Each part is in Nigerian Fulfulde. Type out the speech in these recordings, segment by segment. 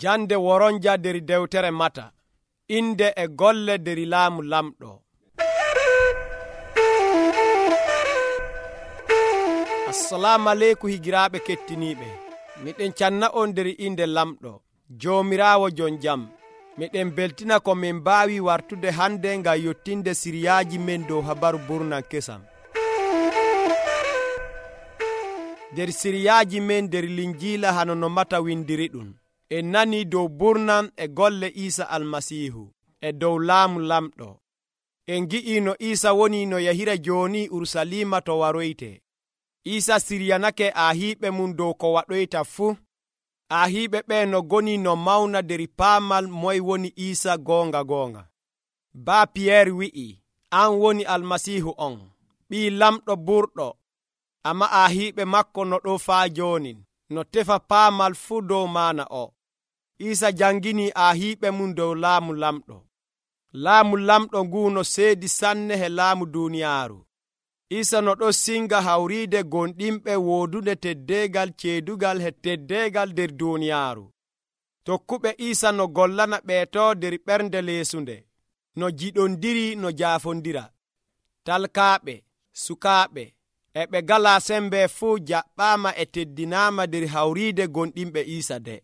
Jande woronja der dewtere Mata. Inde e golle der laamu lamɗo. Assalamu aleykum higiraaɓe kettiniiɓe. Miɗen canna on der inde lamɗo, Joomiraawo jon jam. Miɗen beltina ko min mbaawi wartude hande ngam yottinde siriyaaji men dow habaru burnan kesam. Der siriyaaji men der linjiila hano no Mata windiri ɗum. En nani dow burnan e golle Iisa almasiihu e dow laamu lamɗo. En gi'i no Iisa woni no yahira jooni Urusalima to waroyte. Iisa siryanake aahiiɓe mum dow ko waɗoyta fuu. Aahiiɓe ɓe no goni no mawna der paamal moy woni Iisa goonga. Baa Piyeer wi'i, an woni almasiihu on, ɓii lamɗo burɗo. Amma aahiiɓe makko no ɗo faa jooni, no tefa paamal fuu dow maana o. Iisa jangini aahiiɓe mum dow laamu lamɗo. Laamu lamɗo ngu no seedi sanne he laamu duuniyaaru. Iisa no ɗo singa hawriide gonɗinɓe woodude teddeegal ceedugal he teddeegal der duuniyaaru. Tokkuɓe Iisa no gollana ɓeeto der ɓernde leesunde, no jiɗondiri no jaafondira. Talkaaɓe, sukaaɓe, e ɓe galaa sembe fuu jaɓɓaama e teddinaama der hawriide gonɗinɓe Iisa de.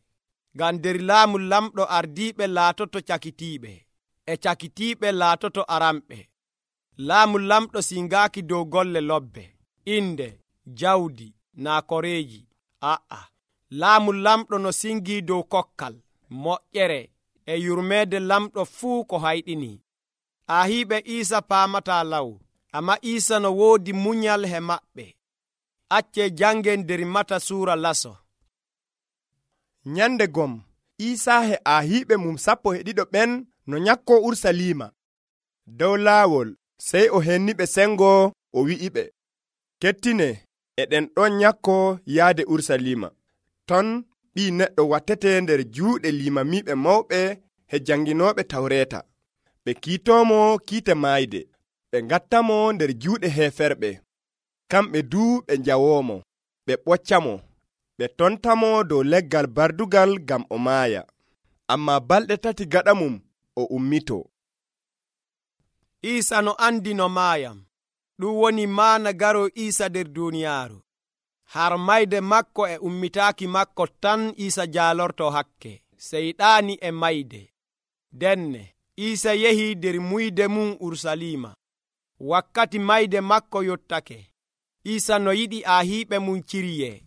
Ngam der laamu lamɗo ardiiɓe laatoto cakitiiɓe, e cakitiiɓe laatoto aramɓe. Laamu lamɗo singaaki dow golle lobbe, inde, jawdi, naa koreeji. Laamu lamɗo no singii dow kokkal, moƴƴere, e yurmeede lamɗo fuu ko hayɗini. Aahiiɓe Iisa paamataa law, amma Iisa no woodi munyal he maɓɓe. Accee jangen der Mata suura laso. Nyande gom, Iisa he aahiiɓe mum 12 ɓen no nyakkoo Urusalima. Dow laawol, sey o henniɓe sengo o wi'iɓe, kettine, eɗen ɗon nyakkoo yaade Urusalima. Ton Ɓii Neɗɗo wattete nder juuɗe limamiiɓe mawɓe he janginooɓe Tawreeta. Ɓe kiitoomo kiite maayde, ɓe ngattamo nder juuɗe heeferɓe. Kamɓe duu ɓe njawoomo, ɓe ɓoccamo, ɓe tontamo dow leggal bardugal ngam o maaya. Ammaa balɗe 3 gaɗa mum o ummitoo. Iisa no andi no maayam. Ɗum woni maana garo Iisa der duuniyaaru. Har mayde makko e ummitaaki makko tan Iisa jaalorto hakke, seyɗaani e mayde. Denne, Iisa yehi der muyde mum Urusalima. Wakkati mayde makko yottake. Iisa no yiɗi aahiiɓe mum ciriyee.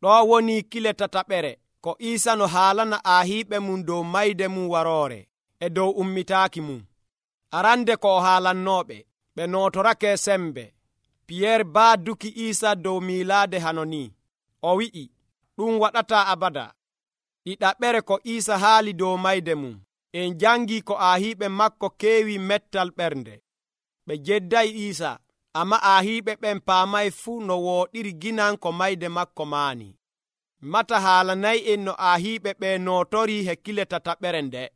Ɗo woni kile 3 ko Iisa no haalana aahiiɓe mum dow mayde mum waroore e dow ummitaaki mum. Arande ko o haalannooɓe, ɓe nootorake sembe. Piyeer baaduki Iisa dow miilaade hano ni. O wi'i, ɗum waɗataa abada. Ɗiɗaɓere ko Iisa haali dow mayde mum. En jangii ko aahiiɓe makko keewi mettal ɓernde. Ɓe jedday Iisa, amma aahiiɓe ɓen paamay fuu no wooɗiri ginan ko mayde makko maani. Mata haalanay'en no aahiiɓe ɓe nootorii he kile 3 nde.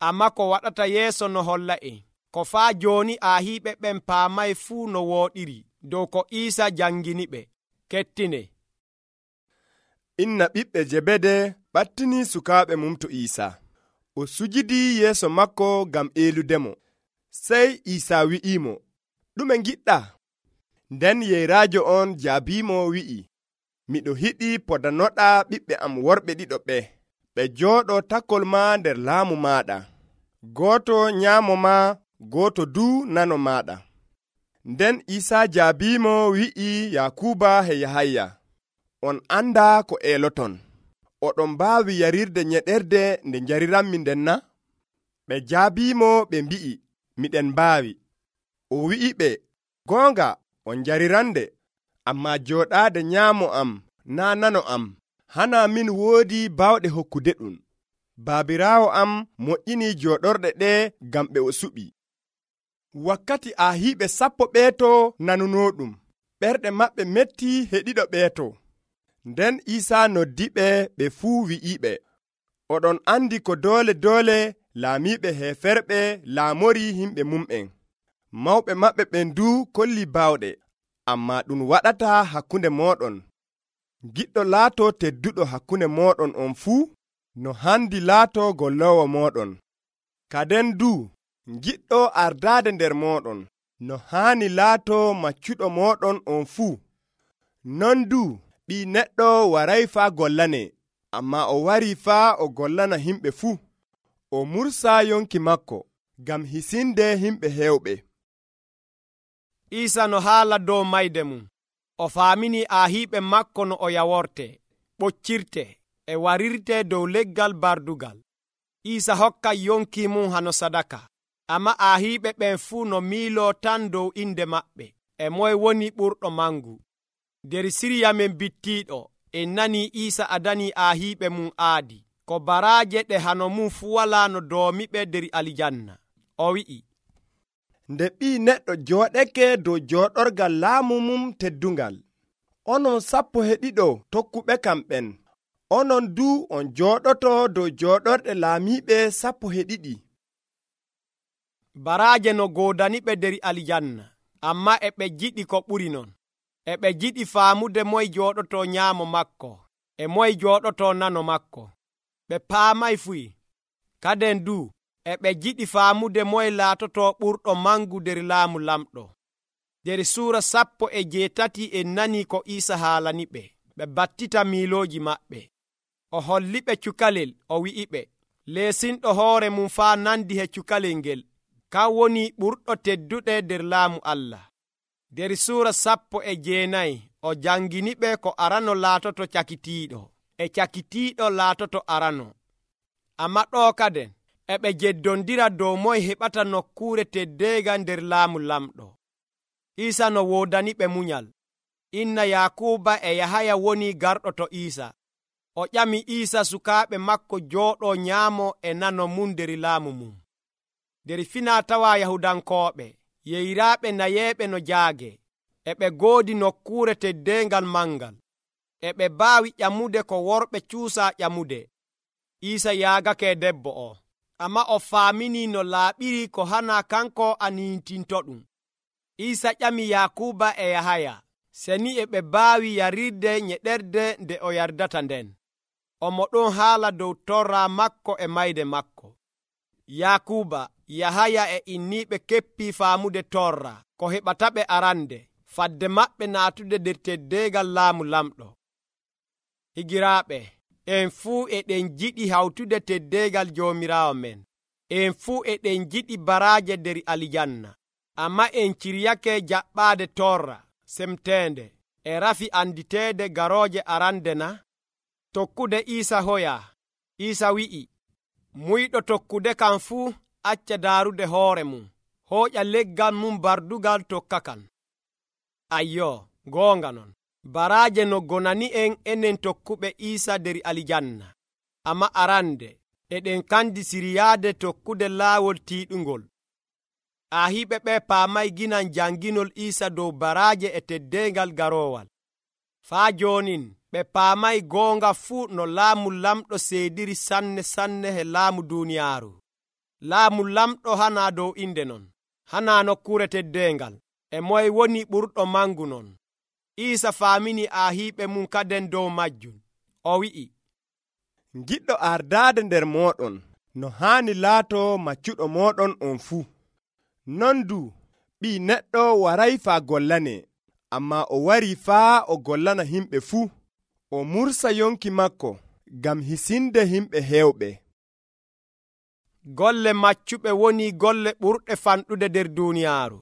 Amma ko waɗata yeeso no holla'en, ko faa jooni aahiiɓe ɓen paamay fuu no wooɗiri dow ko Iisa janginiɓe. Kettine. Inna ɓiɓɓe Jebede ɓattinii sukaaɓe mum to Iisa. O sujidii yeeso makko ngam eeludemo. Sey Iisa wi'imo, ɗume ngiɗɗaa? Nden yeyraajo on jaabiimo wi'i, miɗo yiɗi podanoɗaa ɓiɓɓe am worɓe 2 ɓe jooɗo takol ma nder laamu maaɗa. Gooto nyaamo ma, gooto duu nano maaɗa. Nden Iisa jaabiimo wi'i Yakuba he Yahaya, on andaa ko eeloton. Oɗon mbaawi yarirde nyeɗerde nde njariranmi nden na? Ɓe jaabiimo ɓe mbi'i, miɗen mbaawi. O wi'i ɓe, goonga on njarirande, ammaa jooɗaade nyaamo am naa nano am, hana min woodi baawɗe hokkude ɗum. Baabiraawo am moƴƴinii jooɗorɗe ɗe ngam ɓe o suɓi. Wakkati aahiiɓe 10 ɓeeto nanunoɗum, ɓerɗe maɓɓe metti he 2 ɓeeto. Nden Iisa noddiɓe ɓe fuu wi'iɓe, oɗon andi ko doole laamiiɓe heeferɓe laamori himɓe mum'en. Mawɓe maɓɓe ɓen duu kolli baawɗe, ammaa ɗum waɗataa hakkunde mooɗon. Giɗɗo laato tedduɗo hakkunde mooɗon on fuu. no handi laato gollowo moɗon. Kaden du giɗɗo ardaade nder moɗon no haani laato maccuɗo moɗon on fuu. Non du ɓii neɗɗo waray faa gollane, amma o wari faa o gollana himɓe fuu. O mursa yonki makko ngam hisinde himɓe hewɓe. Iisa no haala dow mayde mum. O faamini aahiiɓe makko no o yaworte, ɓoccirte, e warirte dow leggal bardugal. Iisa hokkay yonki mum hano sadaka. Amma aahiiɓe ɓen fuu no miiloo tan dow inde maɓɓe, e moye woni ɓurɗo mangu. Nder siriya men bittiiɗo, en nanii Iisa adanii aahiiɓe mum aadi, ko baraaje ɗe hano mum fuu walaa no doomiɓe nder aljanna. O wi'i, nde ɓii neɗɗo jooɗeke dow jooɗorgal laamu mum teddungal, onon 12 tokkuɓe kam ɓen, onon du on jooɗoto dow jooɗorɗe laamiiɓe 12. Baraaje no goodaniɓe nder aljanna, amma e ɓe jiɗi ko ɓuri non. E ɓe jiɗi faamude moye jooɗoto nyaamo makko, e moye jooɗoto nano makko. Ɓe paamay fuy. Kaden du e ɓe jiɗi faamude moye laatoto ɓurɗo mangu nder laamu lamɗo. Nder suura 18 en nani ko Iisa haalaniɓe. Ɓe battita miilooji maɓɓe. O holliɓe cukalel, o wi'iɓe, leesinɗo hoore mum faa nandi he cukalel ngel, kan woni ɓurɗo tedduɗe nder laamu Allah. Nder suura 19 o janginiɓe ko arano laatoto cakitiiɗo, e cakitiiɗo laatoto arano. Amma ɗo kaden e ɓe jeddondira dow moye heɓata nokkuure teddeega nder laamu lamɗo. Iisa no woodaniɓe munyal. Inna Yakuba e Yahaya woni garɗo to Iisa. O ƴami Iisa sukaaɓe makko jooɗo nyaamo e nano mum nder laamu mum. Nder finaa-tawaa Yahudankooɓe, yeyraaɓe nayeeɓe no jaage, e ɓe goodi nokkuure teddeengal mangal, e ɓe baawi ƴamude ko worɓe cuusaa ƴamude. Iisa yaagake debbo o, amma o faaminii no laaɓiri ko hana kanko aniintinto ɗum. Iisa ƴami Yakuba e Yahaya, seni e ɓe baawi yarirde nyeɗerde nde o yardata nden. Omo ɗon haala dow torra makko e mayde makko. Yakuba, Yahaya e inniiɓe keppii faamude torra ko heɓata ɓe arande, fadde maɓɓe naatude nder teddeegal laamu lamɗo. Higiraaɓe, en fuu eɗen jiɗi hawtude teddeegal Joomiraawo men. En fuu eɗen jiɗi baraaje nder aljanna, amma en ciryake jaɓɓaade torra semteende e rafi anditeede garooje arande na? Tokkude Iisa hoyaa. Iisa wi'i, muyɗo tokkude kam fuu acca daarude hoore mum, hooƴa leggal mum bardugal tokka kan. Ayyo, goonga non. Baraaje no gonani en enen tokkuɓe Iisa nder aljanna, amma arande eɗen kandi siryaade tokkude laawol tiiɗungol. Aahiiɓe ɓe paamay ginan janginol Iisa dow baraaje e teddeengal garoowal. Faa joonin ɓe paamay goonga fuu no laamu lamɗo seediri sanne he laamu duuniyaaru. Laamu lamɗo hanaa dow inde non, hanaa nokkuure teddeengal, e moye woni ɓurɗo mangu non. Iisa faamini aahiiɓe mum kaden dow majjum. O wi'i, giɗɗo ardaade nder moɗon no haani laato maccuɗo moɗon on fuu. Non du ɓii neɗɗo waray faa gollane, amma o wari faa o gollana himɓe fuu. O mursa yonki makko ngam hisinde himɓe hewɓe. Golle maccuɓe woni golle ɓurɗe fanɗude nder duuniyaaru.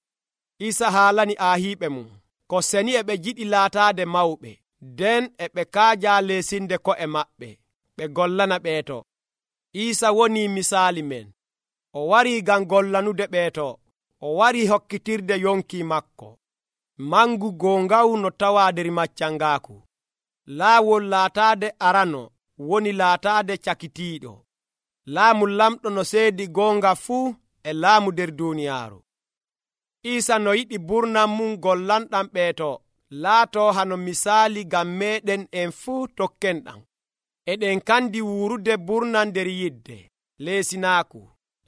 Iisa haalani aahiiɓe mum ko seni e ɓe jiɗi laataade mawɓe, nden e ɓe kaaja leesinde ko'e maɓɓe, ɓe gollana ɓeeto. Iisa woni misaali men. O warii ngam gollanude ɓeeto. O warii hokkitirde yonki makko. Mangu goongawu no tawaa nder maccangaaku. Laawol laataade arano woni laataade cakitiiɗo. Laamu lamɗo no seedi goonga fuu e laamu nder duuniyaaru. Iisa no yiɗi burnam mum gollanɗam ɓeeto laato hano misaali ngam meeɗen en fuu tokkenɗam. Eɗen kandi wuurude burnam nder yidde, leesinaaku,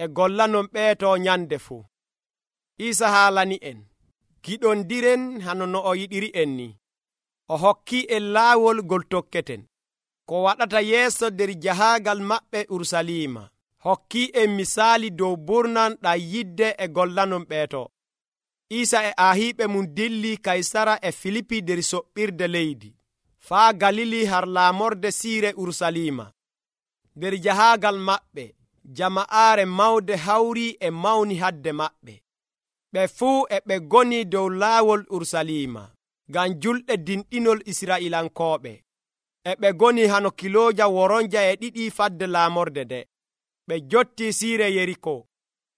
e gollanon ɓeeto nyande fuu. Iisa haalani en, giɗondiren hano no o yiɗiri en ni. O hokkii en laawol ngol tokketen. ko waɗata yeeso nder jahaagal maɓɓe Urusalima. Hokkii en misaali dow burnan ɗam yidde e gollanon ɓeeto. Iisa e aahiiɓe mum dilli Kaysara e Filipi nder soɓɓirde leydi, faa Galili har laamorde siire Urusalima. Nder jahaagal maɓɓe, jama'aare mawde hawrii e mawni hadde maɓɓe. Ɓe fuu e ɓe ngoni dow laawol Urusalima, ngam julɗe dinɗinol Israa'ilankooɓe. E ɓe ngoni hano kilooja woronja e ɗiɗi fadde laamorde nde. Ɓe njottii siire Yeriko.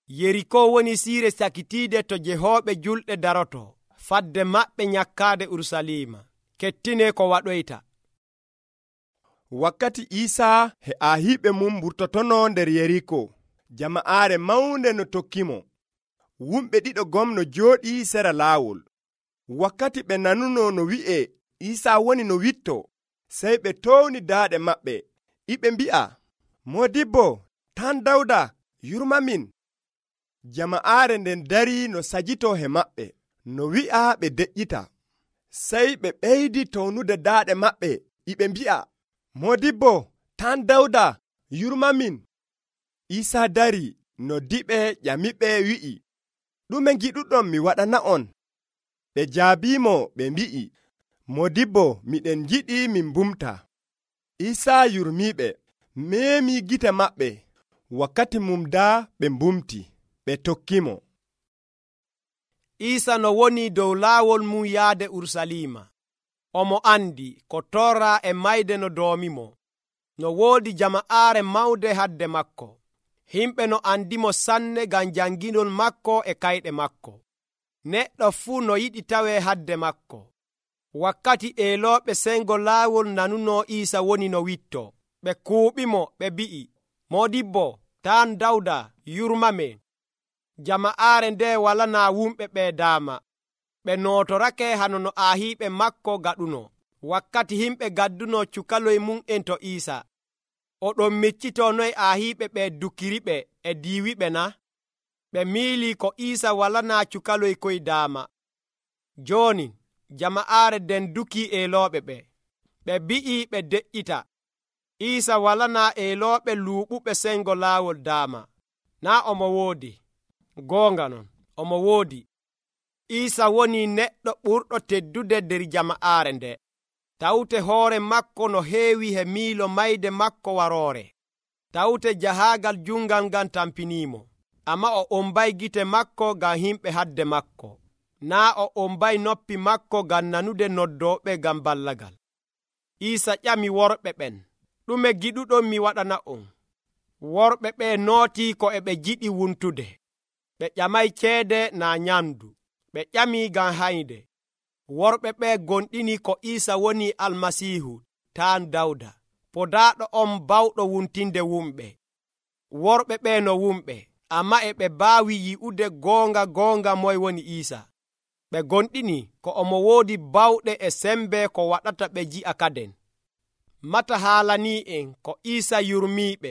Yeriko woni siire sakitiide to jehooɓe julɗe daroto, fadde maɓɓe nyakkaade Urusalima. Kettine ko waɗoyta. Wakkati Iisaa e aahiiɓe mum mburtotono nder Yeriko, jama'aare mawnde no tokkimo. Wumɓe ɗiɗo gomno jooɗii sera laawol. Wakkati ɓe nanuno no wi'e Iisaa woni no witto, sey ɓe towni daaɗe maɓɓe, ɓe mbi'a, Moodibbo, tan Dawda, yurmamin. Jama'aare nden darii no sajitoo he maɓɓe, no wi'a ɓe deƴƴita. Sey ɓe ɓeydi townude daaɗe maɓɓe, ɓe mbi'a, Moodibbo, tan Dawda, yurmamin. Iisaa darii no diɓe ƴamiɓe wi'i, ɗume giɗuɗon mi waɗana'on? Ɓe jaabiimo ɓe mbi'i, Moodibbo, miɗen giɗi min mbumta. Iisaa yurmiiɓe, meemii gite maɓɓe. Wakkati mum daa ɓe mbumti, ɓe tokkimo. Iisa no woni dow laawol mum yaade Urusalima. Omo andi ko torra e mayde no doomimo. No woodi jama'aare mawde hadde makko. Himɓe no andimo sanne ngam janginol makko e kayɗe makko. Neɗɗo fuu no yiɗi tawe hadde makko. Wakkati eelooɓe sengo laawol nanuno Iisa woni no witto, ɓe kuuɓimo ɓe mbi'i, Moodibbo, tan Dawda, yurmamen. Jama'aare nde walanaa wumɓe ɓe daama. Ɓe nootorake hano no aahiiɓe makko gaɗuno. Wakkati himɓe gadduno cukaloy mum en to Iisa, oɗon miccitoo noy aahiiɓe ɓe dukiriɓe e diiwiɓe na? Ɓe miilii ko Iisa walanaa cukaloy koy daama. Jooni jama'aare nden dukii eelooɓe ɓe. Ɓe bi'ii ɓe deƴƴita. Iisa walanaa eelooɓe luuɓuɓe sengo laawol daama. Naa omo woodi. Goonga non, omo woodi. Iisa woni neɗɗo ɓurɗo teddude nder jama'aare nde. Tawte hoore makko no heewi he miilo mayde makko waroore. Tawte jahaagal jungal ngan tampiniimo. Amma o ombay gite makko ngam himɓe hadde makko. Naa o ombay noppi makko ngam nanude noddooɓe ngam ballagal. Iisa ƴami worɓe ɓen, ɗume giɗuɗon mi waɗana'on? Worɓe ɓe nootii ko e ɓe jiɗi wuntude. Ɓe ƴamay ceede naa nyamdu. Ɓe ƴamii ngam haynde. Worɓe ɓe gonɗini ko Iisa woni Almasiihu, taan Dawda, podaaɗo on bawɗo wuntinde wumɓe. Worɓe ɓe no wumɓe, amma e ɓe baawi yi'ude goonga moy woni Iisa. Ɓe gonɗini ko omo woodi bawɗe e sembe ko waɗata ɓe ji'a kaden. Mata haalanii en ko Iisa yurmiiɓe,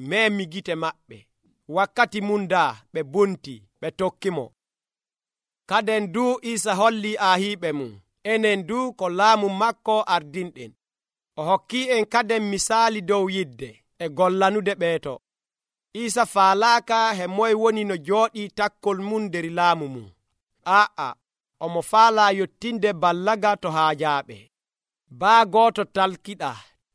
meemi gite maɓɓe. Wakkati mum daa ɓe bunti, ɓe tokkimo. Kaden duu Iisa hollii aahiiɓe mum, enen duu ko laamu makko ardinɗen. O hokkii en kaden misaali dow yidde e gollanude ɓeeto. Iisa faalaaka he moy woni no jooɗii takkol mum nder laamu mum. Omo faalaa yottinde ballaga to haajaaɓe. Baa gooto talkiɗa,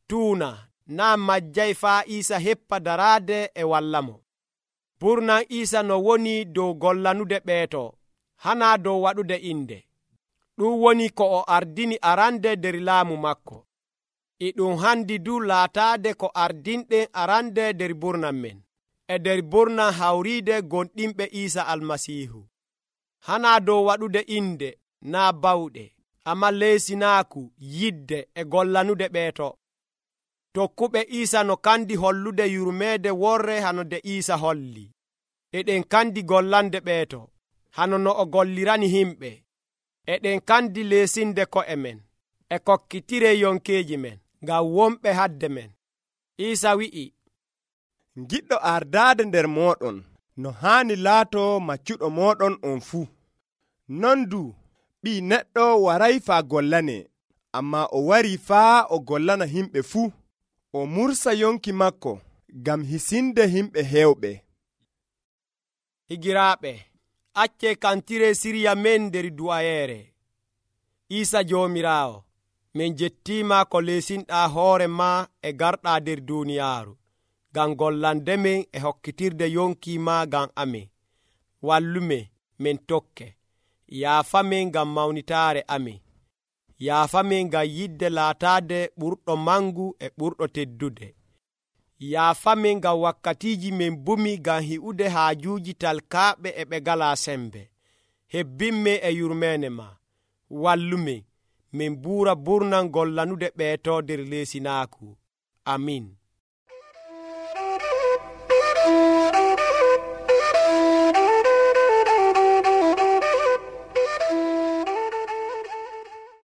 tuuna, naa majjay faa Iisa heppa daraade e wallamo. Burnan Iisa no woni dow gollanude ɓeeto, hanaa dow waɗude inde. Ɗum woni ko o ardini arande nder laamu makko. E ɗum handi du laataade ko ardinɗen arande nder burnan men, e nder burnan hawriide gonɗinɓe Iisa Almasiihu. Hanaa dow waɗude inde, naa bawɗe, amma leesinaaku, yidde e gollanude ɓeeto. Tokkuɓe Iisa no kandi hollude yurmeede worre hano nde Iisa holli. Eɗen kandi gollande ɓeeto, hano no o gollirani himɓe. Eɗen kandi leesinde ko'e men, e kokkitire yonkeeji men, ngam wonɓe hadde men. Iisa wi'i, Giɗɗo ardaade nder mooɗon, no haani laato maccuɗo mooɗon on fuu. Non du, Ɓii Neɗɗo waray faa gollane, ammaa o warii faa o gollana himɓe fuu. o mursa yonki makko ngam hisinde himɓe heewɓe. Higiraaɓe, acce kantire sirya men nder du'ayeere. Iisa Joomiraawo, min jettiima ko leesinɗaa hoore ma e garɗaa nder duuniyaaru ngam gollandemen e hokkitirde yonki ma ngam amin. Wallumen min tokke. Yaafamen ngam mawnitaare amin. Yaafamen ngam yidde laataade ɓurɗo mangu e ɓurɗo teddude. Yaafamen ngam wakkatiiji min bumi ngam hi'ude haajuuji talkaaɓe e ɓe ngalaa sembe. Hebbinmen e yurmeene ma. Wallumen min buura burnal gollanude ɓeeto nder leesinaaku. Amin.